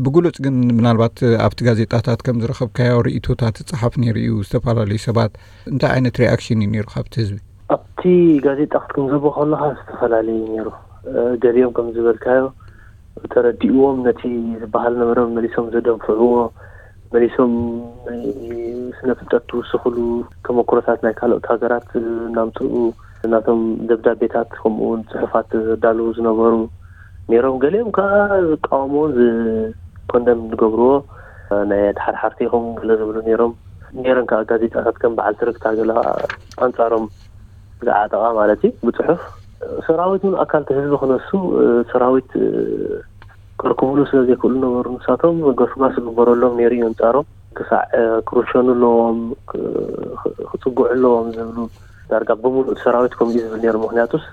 ብግሉጽ ግን ምናልባት ኣብቲ ጋዜጣታት ከም ዝረኸብካዮ ርእይቶታት ይጸሓፍ ነይሩ እዩ። ዝተፈላለዩ ሰባት እንታይ ዓይነት ሪኣክሽን እዩ ነይሩ ካብቲ ህዝቢ? ኣብቲ ጋዜጣ ክትግንዘቦ ከለኻ ዝተፈላለዩ ነይሩ። ገሊኦም ከም ዝበልካዮ ተረዲእዎም ነቲ ዝበሃል ነበረ መሊሶም ዘደንፍዕዎ፣ መሊሶም ናይ ስነ ፍልጠት ትውስኽሉ ተመክሮታት ናይ ካልኦት ሃገራት እናምፅኡ ናቶም ደብዳቤታት ከምኡ እውን ፅሑፋት ዘዳልዉ ዝነበሩ ነይሮም። ገሊኦም ከዓ ዝቃወምዎን ዝኮንደም ዝገብርዎ ናይ ኣድሓርሓርቲ ይኸውን ገለ ዝብሉ ነይሮም። ነይረን ከዓ ጋዜጣታት ከም በዓል ትርክታ ገለ ከዓ ኣንፃሮም ዝዓጠቓ ማለት እዩ ብፅሑፍ። ሰራዊት እውን ኣካል እቲ ህዝቢ ክነሱ ሰራዊት ከርክቡሉ ስለ ዘይክእሉ ነበሩ። ንሳቶም ገስጓስ ዝግበረሎም ነይሩ እዩ ኣንፃሮም። ክሳዕ ክርሸኑ ኣለዎም፣ ክፅግዑ ኣለዎም ዝብሉ ዳርጋ ብምሉእ ሰራዊት ከምኡ እዩ ዝብል ነይሩ። ምክንያቱስ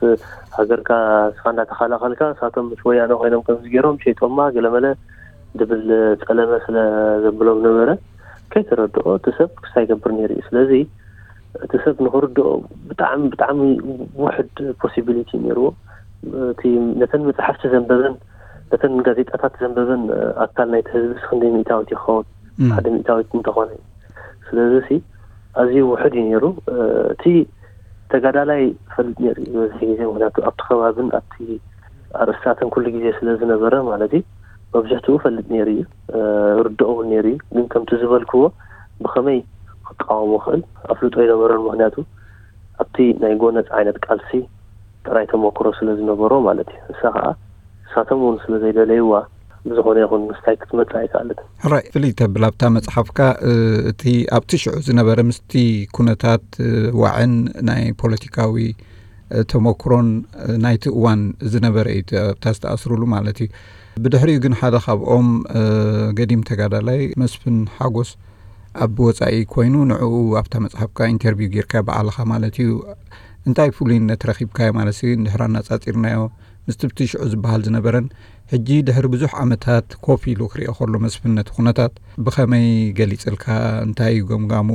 ሃገርካ ንስኻ እንዳተኸላኸልካ ንሳቶም ምስ ወያነ ኮይኖም ከምዚ ገይሮም ሸይጦማ ገለመለ ድብል ፀለመ ስለ ዘብሎም ነበረ። ከይተረድኦ እቲ ሰብ ክሳይ ገብር ነይሩ እዩ። ስለዚ እቲ ሰብ ንክርድኦ ብጣዕሚ ብጣዕሚ ውሕድ ፖሲቢሊቲ ነይርዎ። እቲ ነተን መፅሓፍቲ ዘንበበን ነተን ጋዜጣታት ዘንበበን ኣካል ናይቲ ህዝቢ ክንደይ ሚእታዊት ይኸውን? ሓደ ሚእታዊት እንተኾነ። ስለዚ ሲ ኣዝዩ ውሕድ እዩ ነይሩ። እቲ ተጋዳላይ ፈልጥ ነይሩ ዝበዝሕ ግዜ ምክንያቱ ኣብቲ ከባብን ኣብቲ ኣርእስታትን ኩሉ ግዜ ስለ ዝነበረ ማለት እዩ። መብዝሕትኡ ፈልጥ ነይሩ እዩ። ርድኦ እውን ነይሩ እዩ። ግን ከምቲ ዝበልክዎ ብኸመይ ክቃወሞ ክእል ኣፍልጦ ኣይነበረን። ምክንያቱ ኣብቲ ናይ ጎነፅ ዓይነት ቃልሲ ጥራይ ተመክሮ ስለ ዝነበሮ ማለት እዩ። እሳ ከዓ እሳቶም እውን ስለ ዘይደለይዋ ብዝኾነ ይኹን ምስታይ ክትመፅእ ኣይከኣለትን። ሕራይ ፍልይ ተብል ኣብታ መፅሓፍካ እቲ ኣብቲ ሽዑ ዝነበረ ምስቲ ኩነታት ዋዕን ናይ ፖለቲካዊ ተመክሮን ናይቲ እዋን ዝነበረ እዩ ኣብታ ዝተኣስሩሉ ማለት እዩ። ብድሕሪኡ ግን ሓደ ካብኦም ገዲም ተጋዳላይ መስፍን ሓጎስ ኣብ ወፃኢ ኮይኑ ንዕኡ ኣብታ መፅሓፍካ ኢንተርቪው ጌርካ ባዕልኻ ማለት እዩ እንታይ ፍሉይነት ረኺብካዮ ማለት ሲ እንድሕር ኣናፃፂርናዮ ምስቲ ብቲ ሽዑ ዝበሃል ዝነበረን ሕጂ ድሕሪ ብዙሕ ዓመታት ኮፍ ኢሉ ክሪኦ ከሎ መስፍን ነቲ ኩነታት ብኸመይ ገሊፅልካ? እንታይ እዩ ገምጋሙ?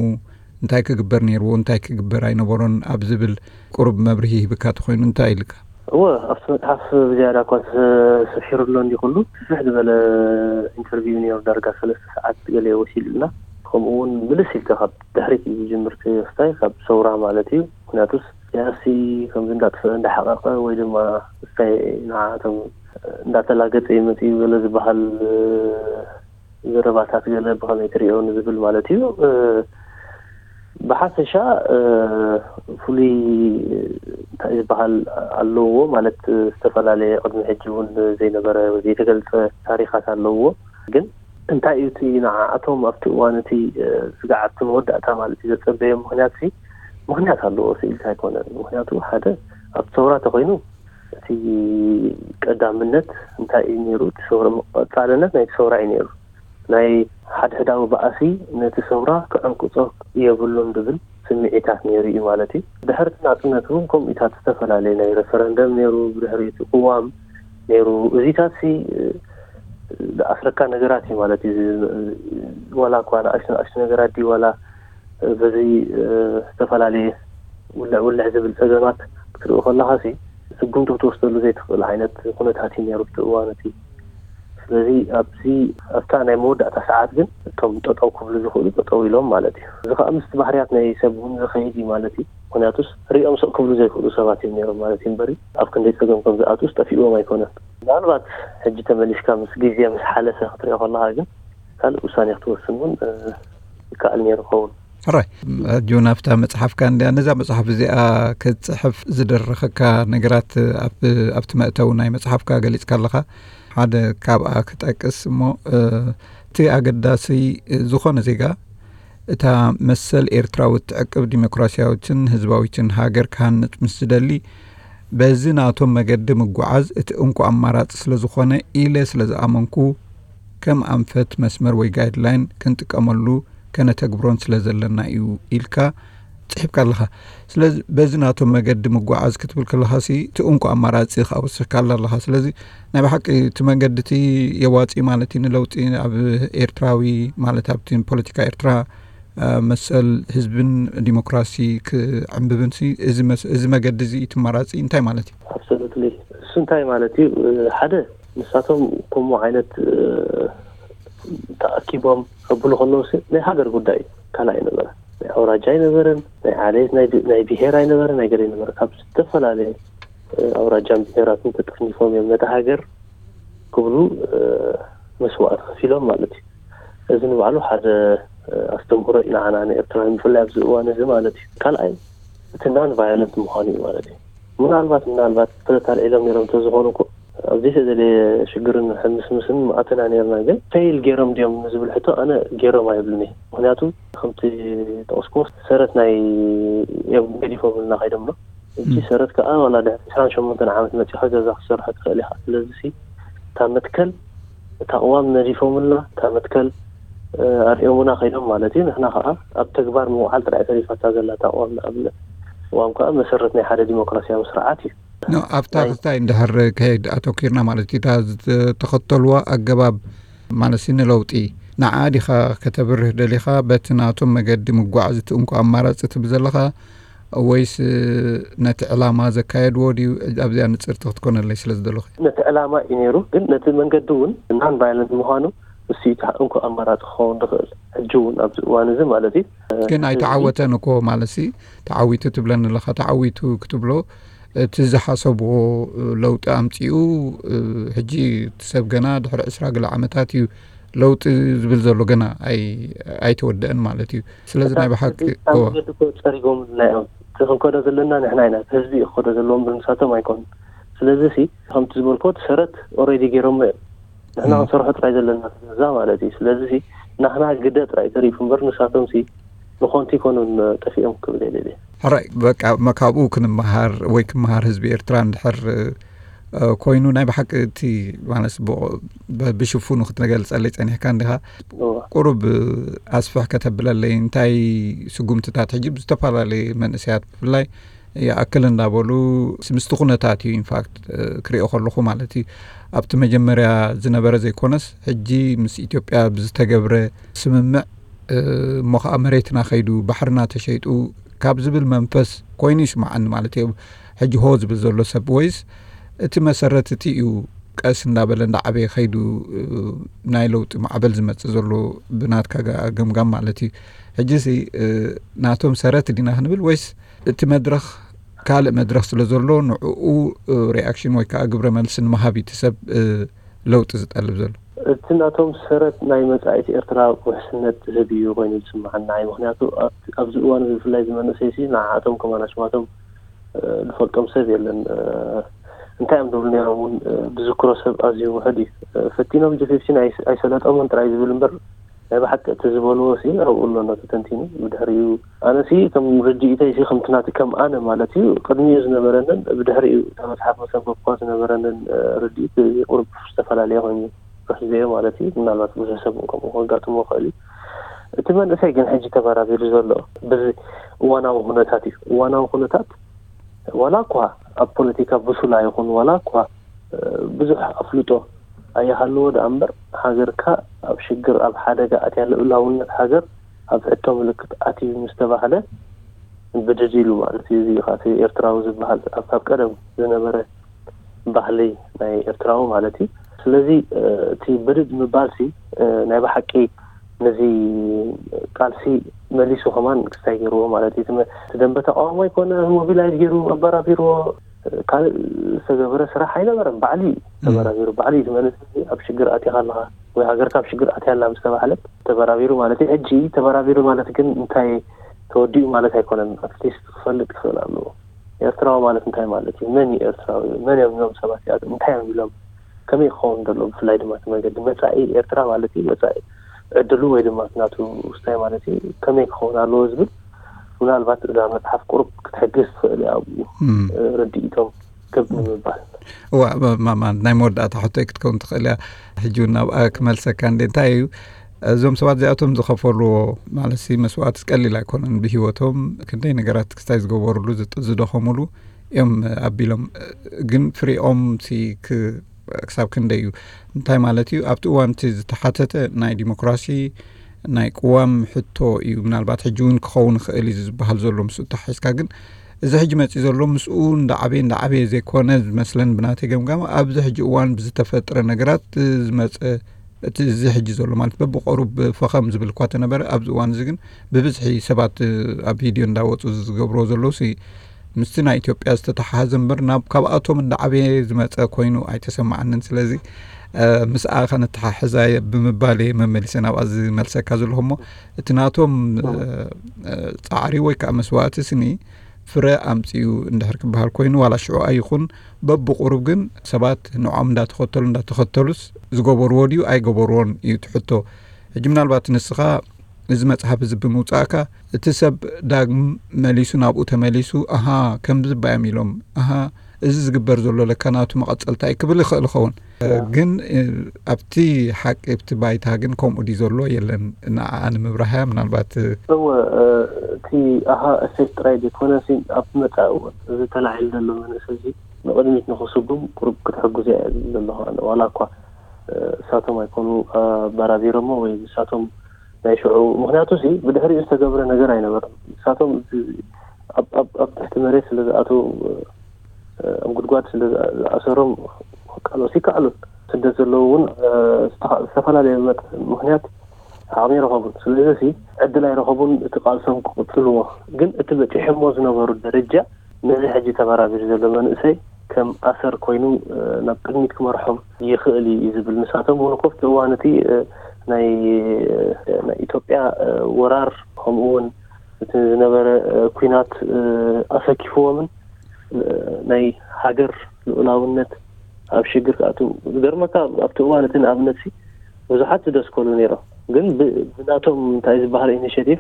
እንታይ ክግበር ነይርዎ እንታይ ክግበር ኣይነበሮን ኣብ ዝብል ቁሩብ መብርሂ ሂብካ ተኮይኑ እንታይ ኢልካ? እወ ኣብቲ መፅሓፍ ብዝያዳ እኳ ተሰፊሩ ኣሎ እንዲ ኩሉ ስፍሕ ዝበለ ኢንተርቪው ነይሩ ዳርጋ ሰለስተ ሰዓት ገለ ወሲድልና። ከምኡ እውን ምልስ ኢልካ ካብ ድሕሪት እዩ ዝጅምር ክስታይ ካብ ሰውራ ማለት እዩ። ምክንያቱስ ያሲ ከምዚ እንዳጥፍአ እንዳሓቐቐ ወይ ድማ ስታይ ንዓቶም እንዳተላገፀ ይመፅእ እዩ ገለ ዝበሃል ዘረባታት ገለ ብኸመይ ትሪኦ ንዝብል ማለት እዩ። ብሓፈሻ ፍሉይ እንታይ ዝበሃል ኣለዎ ማለት ዝተፈላለየ ቅድሚ ሕጂ እውን ዘይነበረ ዘይተገልጸ ታሪኻት ኣለዎ። ግን እንታይ እዩ እቲ ንዓኣቶም ኣብቲ እዋን እቲ ስግዓት መወዳእታ ማለት እዩ ዘጸበዮም ምኽንያት ሲ ምኽንያት ኣለዎ ስኢልካ ኣይኮነን። ምኽንያቱ ሓደ ኣብቲ ሰውራ ተኾይኑ እቲ ቀዳምነት እንታይ እዩ ነይሩ? እቲ ሰውራ ቀጻልነት ናይቲ ሰውራ እዩ ነይሩ። ናይ ሓድሕዳዊ ባእሲ ነቲ ሰውራ ክዕንቅጾ የብሉን ዝብል ስምዒታት ነይሩ እዩ ማለት እዩ። ድሕሪ እቲ ናጽነት እውን ከምኡታት ዝተፈላለየ ናይ ሬፈረንደም ነይሩ፣ ብድሕሪ እቲ ቅዋም ነይሩ። እዚታት ሲ ኣስረካ ነገራት እዩ ማለት እዩ። ዋላ እኳ ንኣሽቱ ንኣሽቱ ነገራት ድዩ ዋላ በዚ ዝተፈላለየ ውልዕ ውልዕ ዝብል ጸገማት ክትርኢ ከለኻ ሲ ስጉምቲ ክትወስደሉ ዘይትኽእል ዓይነት ኩነታት እዩ ነይሩ እቲ እዋን እቲ። ስለዚ ኣብዚ ኣብታ ናይ መወዳእታ ሰዓት ግን እቶም ጠጠው ክብሉ ዝኽእሉ ጠጠው ኢሎም ማለት እዩ። እዚ ከዓ ምስቲ ባህርያት ናይ ሰብ እውን ዝኸይድ እዩ ማለት እዩ። ምክንያቱስ ሪኦም ስቕ ክብሉ ዘይክእሉ ሰባት እዮም ነይሮም ማለት እዩ እምበሪ ኣብ ክንደይ ጸገም ከም ዝኣትውስ ጠፊእዎም ኣይኮነን። ምናልባት ሕጂ ተመሊስካ ምስ ግዜ ምስ ሓለፈ ክትሪኦ ከለኻ ግን ካልእ ውሳኔ ክትወስን እውን ይከኣል ነይሩ ይኸውን። ሕራይ፣ ሕጂ እውን ኣብታ መጽሓፍካ እንድያ ነዛ መጽሓፍ እዚኣ ክትጽሕፍ ዝደረኸካ ነገራት ኣብቲ መእተዊ ናይ መጽሓፍካ ገሊጽካ ኣለኻ። ሓደ ካብኣ ክጠቅስ እሞ እቲ ኣገዳሲ ዝኾነ ዜጋ እታ መሰል ኤርትራዊ እትዕቅብ ዲሞክራሲያዊትን ህዝባዊትን ሃገር ክሃንጽ ምስ ዝደሊ በዚ ናቶም መገዲ ምጉዓዝ እቲ እንኮ ኣማራጺ ስለ ዝኾነ ኢለ ስለ ዝኣመንኩ ከም ኣንፈት መስመር ወይ ጋይድላይን ክንጥቀመሉ ከነተግብሮን ስለ ዘለና እዩ ኢልካ ጽሒፍካ ኣለኻ። ስለዚ በዚ ናቶም መገዲ ምጉዓዝ ክትብል ከለኻሲ እቲ እንኮ ኣማራጺ ከዓ ወሲኽካላ ኣለኻ። ስለዚ ናይ ብሓቂ እቲ መንገዲ እቲ የዋፂ ማለት እዩ ንለውጢ ኣብ ኤርትራዊ ማለት ኣብቲ ፖለቲካ ኤርትራ መሰል ህዝብን ዲሞክራሲ ክዕንብብን እዚ መገዲ እዚ እቲ ኣማራፂ እንታይ ማለት እዩ? ኣብሶሉትሊ እሱ እንታይ ማለት እዩ? ሓደ ንሳቶም ከምኡ ዓይነት ተኣኪቦም ከብሉ ከለዉ ናይ ሃገር ጉዳይ እዩ። ካልእ ኣይነበረ ናይ ኣውራጃ ኣይነበረን ናይ ዓሌት ናይ ብሄር ኣይነበረ ናይ ገለ ኣይነበረ ካብ ዝተፈላለየ ኣውራጃን ብሄራትን ተጠርኒፎም እዮም ነታ ሃገር ክብሉ መስዋእቲ ከፊሎም ማለት እዩ። እዚ ንባዕሉ ሓደ ኣስተምህሮ እዩ ንዓና ንኤርትራውያን ብፍላይ ኣብዚ እዋን እዚ ማለት እዩ። ካልኣይ እቲ ናን ቫዮለንት ምዃኑ እዩ ማለት እዩ። ምናልባት ምናልባት ተታልዒሎም ነይሮም እንተዝኾኑ እኮ ኣብዚ ተደለየ ሽግርን ሕምስምስን ምኣተና ነርና ግን ፌይል ገይሮም ድዮም ንዝብል ሕቶ ኣነ ገይሮም ኣይብልን እየ። ምክንያቱ ከምቲ ጠቕስኩ ሰረት ናይ እዮም ገዲፎምልና ከይዶም ዶ እጂ ሰረት ከዓ ዋላ ድሕሪ ዕስራን ሸሞንተን ዓመት መፂኻ ገዛ ክትሰርሖ ትኽእል ኢኻ። ስለዚ እታ መትከል እታ ቅዋም ነዲፎምልና እታ መትከል ኣርእዮምና ከይዶም ማለት እዩ። ንሕና ከዓ ኣብ ተግባር ምውዓል ጥራይ ተሪፋታ ዘላ እታ ቅዋም ንኣብነት ቅዋም ከዓ መሰረት ናይ ሓደ ዲሞክራሲያዊ ስርዓት እዩ። ኣብታ ክስታይ እንድሕር ከይድ ኣተኪርና ማለት እዩ እታ ዝተኸተልዋ ኣገባብ ማለት ንለውጢ ንዓ ዲኻ ከተብርህ ደሊኻ በቲ ናቶም መገዲ ምጓዓዝ እቲ እንኮ ኣማራፂ ትብል ዘለኻ ወይስ ነቲ ዕላማ ዘካየድዎ ድዩ? ኣብዚኣ ንፅርቲ ክትኮነለይ ስለ ዝደለኹ። ነቲ ዕላማ እዩ ነይሩ ግን ነቲ መንገዲ እውን ናን ቫይለንት ምዃኑ እሱ እዩ እንኮ ኣማራፂ ክኸውን ዝኽእል ሕጂ እውን ኣብዚ እዋን እዚ ማለት እዩ። ግን ኣይተዓወተን እኮ ማለት ሲ ተዓዊቱ ትብለኒ ኣለኻ ተዓዊቱ ክትብሎ እቲ ዝሓሰብዎ ለውጢ ኣምፂኡ ሕጂ እቲ ሰብ ገና ድሕሪ ዕስራ ገለ ዓመታት እዩ ለውጢ ዝብል ዘሎ ገና ኣይተወደአን ማለት እዩ። ስለዚ ናይ ብሓቂ ጸሪጎምልና እዮም። እቲ ክንከዶ ዘለና ንሕና ኢና ህዝቢ እዩ ክከዶ ዘለዎ እምበር ንሳቶም ኣይኮኑን። ስለዚ ሲ ከምቲ ዝበልኮ እቲ ሰረት ኦሬዲ ገይሮሞ እዮም። ንሕና ክንሰርሖ ጥራይ ዘለና ገዛ ማለት እዩ። ስለዚ ሲ ናህና ግደ ጥራይ ተሪፉ እምበር ንሳቶም ሲ ብኾንቲ ይኮኑን ጠፊኦም ክብል የደልየ። ሕራይ በቃ ካብኡ ክንመሃር ወይ ክመሃር ህዝቢ ኤርትራ እንድሕር ኮይኑ ናይ ብሓቂ እቲ ማለት ብሽፉኑ ክትገልጸለይ ጸኒሕካ እንዲኻ ቁሩብ ኣስፍሕ ከተብለለይ እንታይ ስጉምትታት ሕጂ ብዝተፈላለየ መንእሰያት ብፍላይ ይኣክል እንዳበሉ ምስቲ ኩነታት እዩ ኢንፋክት ክሪኦ ከለኹ ማለት እዩ ኣብቲ መጀመርያ ዝነበረ ዘይኮነስ ሕጂ ምስ ኢትዮጵያ ብዝተገብረ ስምምዕ እሞ ከዓ መሬትና ከይዱ ባሕርና ተሸይጡ ካብ ዝብል መንፈስ ኮይኑ ይስማዓኒ ማለት እዩ ሕጂ ሆ ዝብል ዘሎ ሰብ ወይስ እቲ መሰረት እቲ እዩ ቀስ እንዳበለ እንዳዓበየ ከይዱ ናይ ለውጢ ማዕበል ዝመፅእ ዘሎ ብናትካ ገምጋም ማለት እዩ ሕጂ ናቶም ሰረት ዲና ክንብል ወይስ እቲ መድረኽ ካልእ መድረኽ ስለ ዘሎ ንዕኡ ሪኣክሽን ወይ ከዓ ግብረ መልሲ ንምሃብ እቲ ሰብ ለውጢ ዝጠልብ ዘሎ እቲ ናቶም ሰረት ናይ መጻኢት ኤርትራ ውሕስነት ዝህብ እዩ ኮይኑ ዝስምዓና። ምክንያቱ ኣብዚ እዋን እዚ ብፍላይ ዝመንእሰይ ሲ ንዓኣቶም ከማን ኣሽማቶም ዝፈልጦም ሰብ የለን። እንታይ እዮም ዝብሉ ነይሮም እውን ዝዝክሮ ሰብ ኣዝዩ ውሕድ እዩ። ፈቲኖም ጂ ፊፍቲን ኣይሰለጠሙን ጥራይ ዝብል እምበር ናይ ብሓቂ እቲ ዝበልዎ ሲ ኣብኡ ኣሎ ተተንቲኑ። ብድሕሪኡ ኣነ ሲ ከም ርድኢተይ ሲ ከምቲ ናቲ ከም ኣነ ማለት እዩ ቅድሚኡ ዝነበረንን ብድሕሪኡ እታ መጽሓፍ መሰንበብኳ ዝነበረንን ርድኢት ቁርብ ዝተፈላለየ ኮይኑ ርሕዘዮ ማለት እዩ። ምናልባት ብዙሕ ሰብ እውን ከምኡ ከጋጥሞ ይኽእል እዩ። እቲ መንእሰይ ግን ሕጂ ተበራቢሩ ዘሎ በዚ እዋናዊ ኩነታት እዩ። እዋናዊ ኩነታት ዋላ እኳ ኣብ ፖለቲካ ብሱል ኣይኹን፣ ዋላ እኳ ብዙሕ ኣፍልጦ ኣይሃልዎ ደኣ እምበር፣ ሃገርካ ኣብ ሽግር ኣብ ሓደጋ ኣትያ፣ ልኡላውነት ሃገር ኣብ ሕቶ ምልክት ኣትዩ ምስ ተባህለ ብድድ ኢሉ ማለት እዩ። እዚ ኻቲ ኤርትራዊ ዝበሃል ኣብ ካብ ቀደም ዝነበረ ባህሊ ናይ ኤርትራዊ ማለት እዩ። ስለዚ እቲ ብድድ ምባል ሲ ናይ ብሓቂ ነዚ ቃልሲ መሊሱ ከማን ክስታይ ገይርዎ ማለት እዩ። እቲ ደንበ ተቃውሞ ኣይኮነ ሞቢላይዝ ገይሩ ኣበራቢርዎ ካልእ ዝተገበረ ስራሕ ኣይነበረን። ባዕሊ እዩ ተበራቢሩ፣ ባዕሊ እዩ። እቲ መንእሰይ ኣብ ሽግር ኣቲኻ ኣለኻ ወይ ሃገርካ ኣብ ሽግር ኣትያ ኣላ ምስ ተባህለት ተበራቢሩ ማለት እዩ። ሕጂ ተበራቢሩ ማለት ግን እንታይ ተወዲኡ ማለት ኣይኮነን። ኣትሊስት ክፈልጥ ክኽእል ኣለዎ። ኤርትራዊ ማለት እንታይ ማለት እዩ? መን እዩ ኤርትራዊ? መን እዮም እዞም ሰባት እዚኣቶም? እንታይ እዮም ኢሎም? ከመይ ክኸውን ዘሎ? ብፍላይ ድማ እቲ መንገዲ መጻኢ ኤርትራ ማለት እዩ፣ መጻኢ ዕድሉ ወይ ድማ ናቱ ውስታይ ማለት እዩ፣ ከመይ ክኸውን ኣለዎ ዝብል ምናልባት እዛ መጽሓፍ ቁሩብ ክትሕግዝ ትኽእል እያ። ኣብኡ ርድኢቶም ክብ ንምባል። እዋ፣ ማ- ማ- ናይ መወዳእታ ሕቶይ ክትከውን ትኽእል እያ። ሕጂ እውን ናብኣ ክመልሰካ እንደ እንታይ እዩ፣ እዞም ሰባት እዚኣቶም ዝኸፈልዎ ማለት ሲ መስዋእቲ ቀሊል ኣይኮነን። ብህይወቶም ክንደይ ነገራት ክስታይ ዝገበሩሉ ዝጥ- ዝደኸሙሉ እዮም ኣቢሎም። ግን ፍሬኦም ሲ ክ- ክሳብ ክንደይ እዩ? እንታይ ማለት እዩ? ኣብቲ እዋን እቲ ዝተሓተተ ናይ ዲሞክራሲ ናይ ቅዋም ሕቶ እዩ። ምናልባት ሕጂ እውን ክኸውን ይኽእል እዩ ዝበሃል ዘሎ ምስኡ ተሓሒዝካ። ግን እዚ ሕጂ መፂእ ዘሎ ምስኡ እንዳዓበየ እንዳዓበየ ዘይኮነ ዝመስለን ብናተይ ገምጋም ኣብዚ ሕጂ እዋን ብዝተፈጥረ ነገራት ዝመፀ እቲ እዚ ሕጂ ዘሎ ማለት በብቆሩብ ፈኸም ዝብል እኳ ተነበረ ኣብዚ እዋን እዚ ግን ብብዝሒ ሰባት ኣብ ቪድዮ እንዳወፁ ዝገብርዎ ዘለዉ ሲ ምስቲ ናይ ኢትዮጵያ ዝተተሓሓዘ እምበር ናብ ካብኣቶም እንዳዓበየ ዝመፀ ኮይኑ ኣይተሰማዓንን። ስለዚ ምስኣ ከነተሓሕዛ ብምባል እየ መመሊሰ ናብኣ ዝመልሰካ ዘለኹ እሞ እቲ ናቶም ፃዕሪ ወይ ከዓ መስዋእቲ ስኒ ፍረ ኣምፅኡ እንድሕር ክበሃል ኮይኑ ዋላ ሽዑ ኣይኹን በብቁሩብ ግን ሰባት ንዖም እንዳተኸተሉ እንዳተኸተሉስ ዝገበርዎ ድዩ ኣይገበርዎን እዩ ትሕቶ። ሕጂ ምናልባት ንስኻ እዚ መፅሓፍ እዚ ብምውፃእካ እቲ ሰብ ዳግም መሊሱ ናብኡ ተመሊሱ ኣሃ ከምዚ ባዮም ኢሎም ኣሃ እዚ ዝግበር ዘሎ ለካ ናቱ መቐፀልታ እዩ ክብል ይኽእል ይኸውን። ግን ኣብቲ ሓቂ ኣብቲ ባይታ ግን ከምኡ ድዩ ዘሎ የለን። ንዓኣ ንምብራህያ ምናልባት እወ እቲ ኣሃ እሴት ጥራይ ዘይኮነ ሲ ኣብ መፃኢ እውን እዚ ተላዒሉ ዘሎ መንእሰይ እዚ ንቕድሚት ንኽስጉም ቁሩብ ክትሕግዞ እየ ዘለኹ ኣነ። ዋላ እኳ እሳቶም ኣይኮኑ ኣበራቢሮሞ ወይ ንሳቶም ናይ ሽዑ ምክንያቱ ሲ ብድሕሪኡ ዝተገብረ ነገር ኣይነበረን። ንሳቶም ኣብ ትሕቲ መሬት ስለ ዝኣተው ኣብ ጉድጓድ ስለ ዝኣሰሮም ክቃለሱ ይከኣሉ። ስደት ዘለዉ እውን ዝተፈላለየ ምክንያት ዓቕሚ ኣይረኸቡን። ስለዚ ሲ ዕድል ኣይረኸቡን እቲ ቃልሶም ክቕፅልዎ። ግን እቲ በፂሖሞ ዝነበሩ ደረጃ ነዚ ሕጂ ተበራቢሩ ዘሎ መንእሰይ ከም ኣሰር ኮይኑ ናብ ቅድሚት ክመርሖም ይኽእል እዩ ዝብል። ንሳቶም እውን ኮፍቲ እዋን እቲ ናይ ናይ ኢትዮጵያ ወራር ከምኡ እውን እቲ ዝነበረ ኩናት ኣሰኪፍዎምን ናይ ሃገር ልኡላውነት ኣብ ሽግር ክኣትው ዝገርመካ ኣብቲ እዋን እቲ ንኣብነት ሲ ብዙሓት ዝደስከሉ ነይሮም። ግን ብናቶም እንታይ ዝበሃል ኢኒሽቲቭ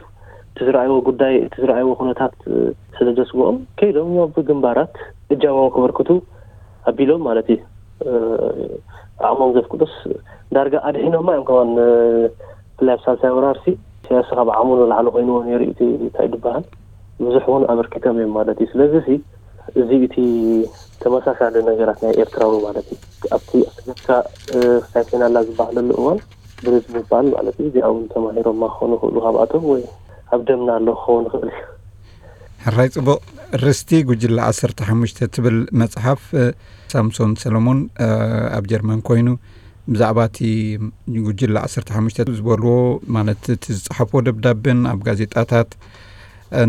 እቲ ዝረኣይዎ ጉዳይ እቲ ዝረኣይዎ ኩነታት ስለ ዘስግኦም ከይዶም ኣብ ግንባራት እጃሞም ክበርክቱ ኣቢሎም ማለት እዩ። ዓቕሞም ዘፍቅዱስ ዳርጋ ኣድሒኖማ እዮም ከማን ብፍላይ ኣብ ሳልሳይ ወራርሲ ኢሳያስ ካብ ዓቕሙ ንላዕሊ ኮይንዎ ነይሩ እቲ እንታይ ዝበሃል ብዙሕ እውን ኣበርኪቶም እዮም ማለት እዩ። ስለዚ ሲ እዚ እቲ ተመሳሳሊ ነገራት ናይ ኤርትራዊ ማለት እዩ ኣብቲ ኣስገድካ ሳይኮናላ ዝበሃለሉ እዋን ብርድ ምባል ማለት እዩ። እዚኣ እውን ተማሂሮማ ክኾኑ ይኽእሉ ካብኣቶም ወይ ኣብ ደምና ኣሎ ክኸውን ይኽእል እዩ። ሕራይ ጽቡቕ። ርስቲ ጉጅለ ዓሰርተ ሓሙሽተ ትብል መጽሓፍ ሳምሶን ሰለሞን ኣብ ጀርመን ኮይኑ ብዛዕባ እቲ ጉጅለ ዓሰርተ ሓሙሽተ ዝበልዎ ማለት እቲ ዝጸሓፍዎ ደብዳቤን ኣብ ጋዜጣታት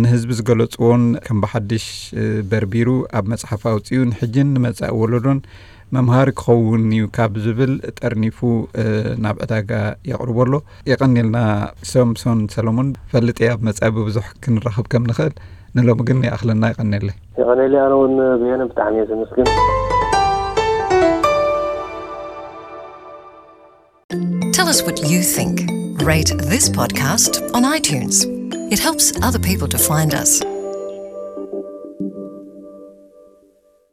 ንህዝቢ ዝገለጽዎን ከም ብሓድሽ በርቢሩ ኣብ መጽሓፍ ኣውጺኡ ንሕጅን ንመጻኢ ወለዶን መምሃሪ ክኸውን እዩ ካብ ዝብል ጠርኒፉ ናብ ዕዳጋ የቕርቦ ኣሎ። የቐኒልና ሶምሶን ሰሎሞን። ፈልጥ እየ ኣብ መጻኢ ብብዙሕ ክንራኸብ ከም ንኽእል። ንሎሚ ግን ይኣኽለና። ይቐኒለይ። ይቐኒለይ። ኣነ እውን ብየነ ብጣዕሚ እየ ዘመስግን። Tell us what you think. Rate this podcast on iTunes. It helps other people to find us.